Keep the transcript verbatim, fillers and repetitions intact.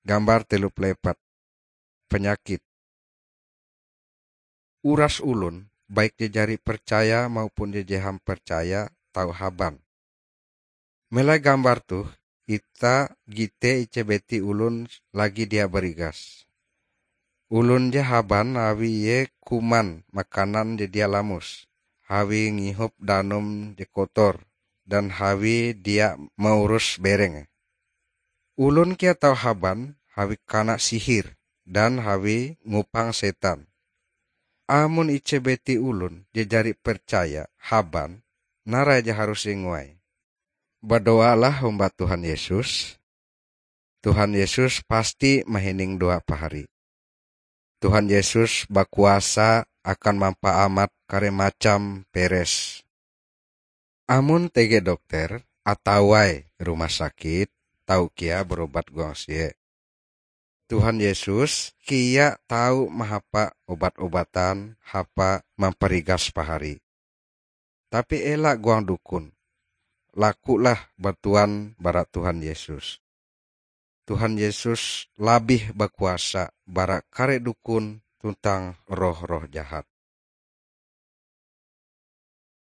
Gambar telu puluh empat. Penyakit. Uras olon, baik je jari percaya maupun je jeham percaya, tau haban. Melai gambar toh, ita gite ije biti olon lagi dia barigas. Olon je haban awi ie kuman makanan je dia lamus, awi ngihop danum je kotor, dan awi dia maurus bereng. Olon kea tau haban awi kana sihir dan awi ngupang setan. Amon ije biti olon je jari percaya haban, narai je harus inguai. Badoalah hong Tuhan Yesus. Tuhan Yesus pasti mahining doa pahari. Tuhan Yesus bakuasa akan mampaamat kare macam peres. Amon tege dokter atawa rumah sakit, tau kea berobat huang sie. Tuhan Yesus kea tau mahapa obat-obatan hapa mamparigas pahari. Tapi ela huang dukun. Lakulah bantuan bara Tuhan Yesus. Tuhan Yesus labih bakuasa bara kare dukun tuntang roh-roh jahat.